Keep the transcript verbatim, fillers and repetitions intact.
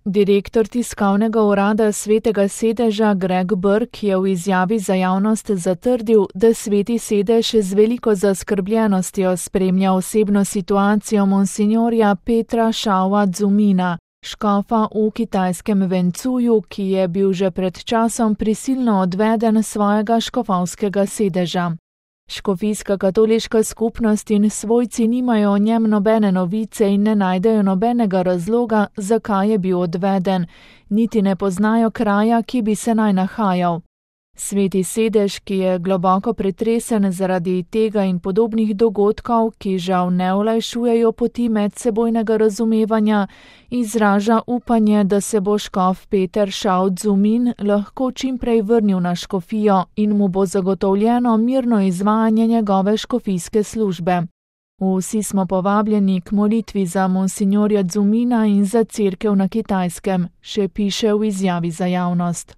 Direktor tiskovnega urada Svetega sedeža Greg Burke je v izjavi za javnost zatrdil, da Sveti sedež z veliko zaskrbljenostjo spremlja osebno situacijo monsinjorja Petra Shaua Dzumina, škofa v kitajskem Vencuju, ki je bil že pred časom prisilno odveden s svojega škofovskega sedeža. Škofijska katoliška skupnost in svojci nimajo o njem nobene novice in ne najdejo nobenega razloga, zakaj je bil odveden, niti ne poznajo kraja, ki bi se naj nahajal. Sveti sedež, ki je globoko pretresen zaradi tega in podobnih dogodkov, ki žal ne olajšujejo poti medsebojnega razumevanja, izraža upanje, da se bo škof Peter Shao Dzumin lahko čimprej vrnil na škofijo in mu bo zagotovljeno mirno izvajanje njegove škofijske službe. Vsi smo povabljeni k molitvi za monsinjorja Dzumina in za cerkev na Kitajskem, še piše v izjavi za javnost.